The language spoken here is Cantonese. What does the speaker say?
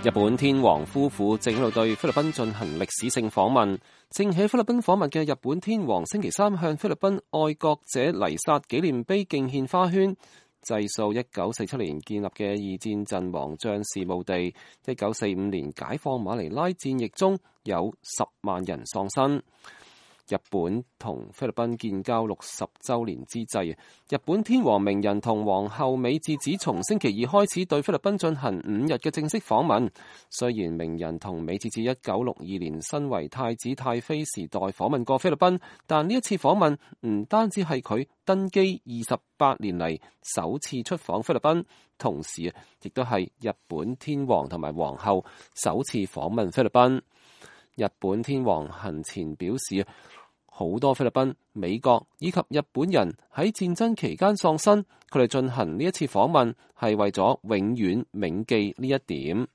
日本天皇夫婦正喺度對菲律賓進行歷史性訪問。正喺菲律賓訪問嘅日本天皇星期三向菲律賓愛國者黎薩紀念碑敬獻花圈，祭掃1947年建立嘅二戰陣亡將士墓地。1945年解放馬尼拉戰役中有10萬人喪生。日本同菲律賓建交60週年之際，日本天皇明仁同皇后美智子從星期二開始對菲律賓進行5日嘅正式訪問。雖然明仁同美智子1962年身為太子太妃時代訪問過菲律賓，但呢一次訪問唔單止係佢登基28年嚟首次出訪菲律賓，同時亦都係日本天皇同埋皇后首次訪問菲律賓。日本天皇行前表示，好多菲律賓、美國以及日本人喺戰爭期間喪生，佢哋進行呢一次訪問係為咗永遠銘記呢一點。